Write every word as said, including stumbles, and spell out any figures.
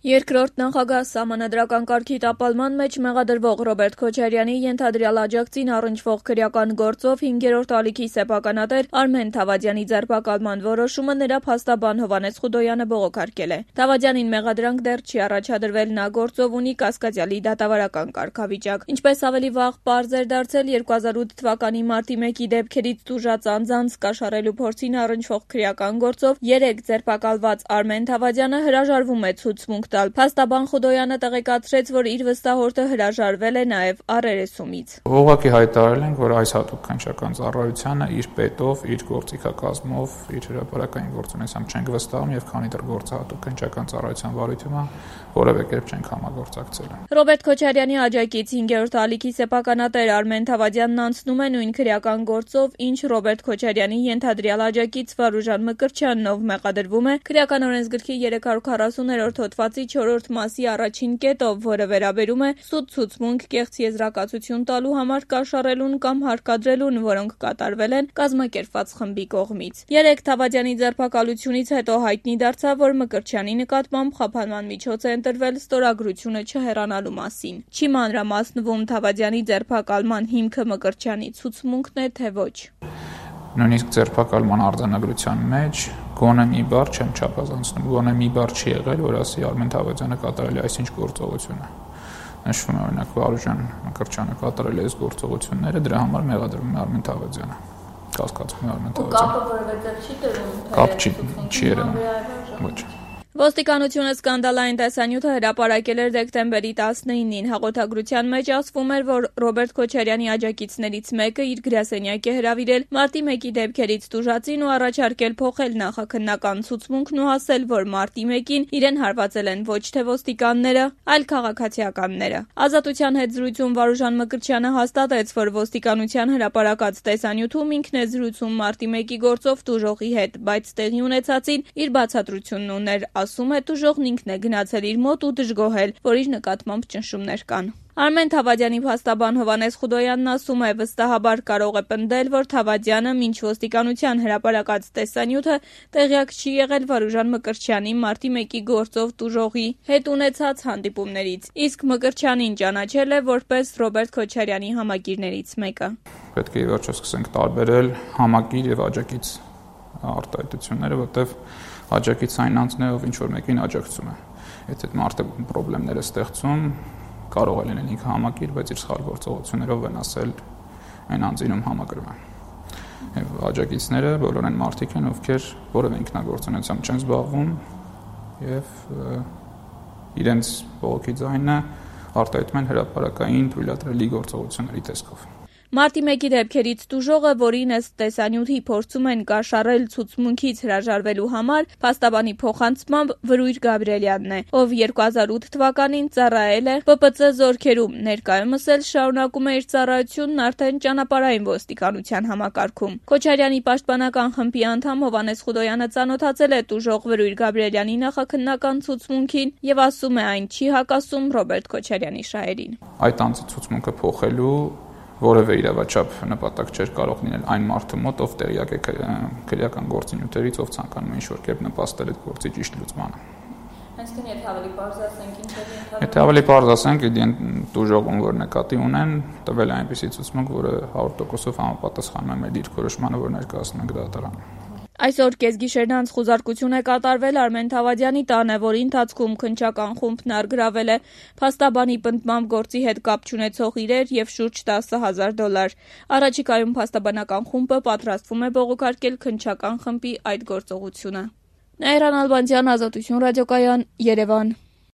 Երկրորդ նախագահ սահմանադրական կարգի տապալման մեջ մեղադրվող Ռոբերտ Քոչարյանի ենթադրյալ աջակցին առնչվող քրեական գործով հինգերորդ ալիքի սեփականատեր Արմեն Թավադյանի ձերբակալման որոշումը նրա փաստաբան Հովհաննես Խուդոյանը բողոքարկել է։ Թավադյանին մեղադրանք դեռ չի առաջադրվել, նա գործով ունի կասկածյալի դատավարական կարգավիճակ։ Ինչպես ավելի վաղ պարզ էր դարձել երկու հազար ութ թվականի մարտի մեկի դեպքերից տուժած անձանց կաշառելու փորձին առնչվող քրեական գործով երեք ձերբակալված Արմեն Թավադյանը հրաժարվում է ցուցմունք տալ։ Փաստաբան Խուդոյանը տեղեկացրեց, որ իր վստահորդը հրաժարվել է նաև առերեսումից։ Ուղղակի հայտարարել ենք, որ այս հատուկ քննչական ծառայությանը իր պետով, իր գործիքակազմով, իր հրապարակային գործունեությամբ չենք վստահում եւ քանի դեռ գործը հատուկ քննչական ծառայության վարույթում է, որևէ կերպ չենք համագործակցել։ Ռոբերտ Քոչարյանի աջակից հինգերորդ ալիքի սեփականատեր Արմեն Թավադյանն անցնում է նույն քրեական գործով, ինչ Ռոբերտ Քոչարյանի ենթադրյալ աջակից Վարուժան Մկրտչյանն, ով մեղադրվում է քրեական օրենսգրքի երեք հարյուր քառասուներորդ հոդվածի չորրորդ մասի առաջին կետով, որը վերաբերում է սուտ ցուցմունք կեղծ եզրակացություն տալու համար կաշառելուն կամ հարկադրելուն, որոնք կատարվել են կազմակերպված խմբի կողմից։ Երեք Թավադյանի ձերբակալությունից հետո հայտնի դարձավ, որ Մկրտչյանի նկատմամբ խափանման միջոց է ընտրվել ստորագրությունը չհեռանալու մասին։ Չի մանրամասնվում Թավադյանի ձերբակալման հիմքը Մկրտչյանի ցուցմունքն է, թե ոչ։ Նույնիսկ ձերբակալման արձանագրության մեջ գոնե մի բառ չեմ չափազանցնում, գոնե մի բառ չի եղել, որ ասի Արմեն Թավադյանը կատարել է այսինչ գործողությունը։ Նշվում է օրինակ Վարուժան Մկրտչյանը կատարել է այս գործողությունները, դրա համար մեղադրվում է Արմեն Թավադյանը։ Կասկածվում է Արմեն Թավադյանը։ Կապը որևէ չի դրում, թե կապ չի չի երևում։ Ոչ։ Ոստիկանությունը սկանդալային տեսանյութը հրապարակել էր դեկտեմբերի տասնինին։ Հաղորդագրության մեջ ասվում էր, որ Ռոբերտ Քոչարյանի աջակիցներից մեկը իր գրասենյակ է հրավիրել մարտի մեկի դեպքերից տուժածին ու առաջարկել փոխել նախաքննական ցուցմունքն ու ասել, որ մարտի մեկին իրեն հարվածել են ոչ թե ոստիկանները, այլ քաղաքացիականները։ Ազատության հետ զրույցում Վարուժան Մկրտչյանը հաստատեց, որ ոստիկանության հրապարակած տեսանյութում ինքն է զրույցում մարտի մեկի գործով տուժողի հետ, բայց տեղի ունեցածին իր բացատրությունն ուներ։ Ասում է, տուժողն ինքն է գնացել իր մոտ ու դժգոհել, որ իր նկատմամբ ճնշումներ կան։ Արմեն Թավադյանի փաստաբան Հովհաննես Խուդոյանն ասում է, վստահաբար կարող է պնդել, որ Թավադյանը մինչ ոստիկանության հրապարակած տեսանյութը տեղյակ չի եղել Վարուժան Մկրտչյանի մարտի մեկի գործով տուժողի հետ ունեցած հանդիպումներից, իսկ Մկրտչյանին ճանաչել է որպես Ռոբերտ Քոչարյանի համակիրներից մեկը։ Պետք է ի վերջո սկսենք տարբերել համակիր եւ աջակից արտահայտությունները, որտեղ աջակից այն անձն է, ով ինչ-որ մեկին աջակցում է։ Եթե մարդը խնդիրներ է ստեղծում, կարող է լինել ինքը համակիր, բայց իր սխալ գործողություններով վնասել այն անձին, ում համակրում է։ Եվ աջակիցները բոլորն են մարդիկ են, ովքեր որևէ ինքնագործունեությամբ չեն զբաղվում եւ իրենց բողոքի ձայնը արտահայտում են հրապարակային թույլատրելի գործողությունների տեսքով։ Մարտի մեկի դեպքերից տուժողը, որին ըստ տեսանյութի փորձում են կաշառել ցուցմունքից հրաժարվելու համար, փաստաբանի փոխանցմամբ Վրույր Գաբրիելյանն է, ով երկու հազար ութ թվականին ծառայել է Պ Պ Ծ զորքերում, ներկայումս էլ շարունակում է իր ծառայությունն արդեն ճանապարհային ոստիկանության համակարգում։ Քոչարյանի պաշտպանական խմբի անդամ Հովհաննես Խուդոյանը ծանոթացել է տուժող Վրույր Գաբրիելյանի նախաքննական ցուցմունքին եւ ասում է, այն չի հակասում Ռոբերտ Քոչարյանի շահերին։ Այդ անձի ցուցմունքը փոխելու որևէ իրավաչափ նպատակ չէր կարող լինել այն մարդու մոտ, ով տեղյակ է քրեական գործունեությունից, ով ցանկանում է ինչ-որ կերպ նպաստել այդ գործի ճիշտ լուծմանը։ Այսինքն, եթե ավելի պարզ ասենք, ինչ է ընդհանրապես։ Եթե ավելի պարզ ասենք, տուժողում որ նկատի ունեն, տվել է այնպիսի ցուցմունք, որը հարյուր տոկոսով համապատասխանում է մեր դիրքորոշմանը, որ ներկայացնում ենք դատարանում։ Այսօր կեսգիշերն անց խուզարկություն է կատարվել Արմեն Թավադյանի տանը, որի ընթացքում քննչական խումբն առգրավել է փաստաբանի պնդմամբ գործի հետ կապ չունեցող իրեր եւ շուրջ տասը հազար դոլար։ Առաջիկայում փաստաբանական խումբը պատրաստվում է բողոքարկել քննչական խմբի այդ գործողությունը։ Նաիրա Նալբանդյան, Ազատություն ռադիոկայան, Երևան։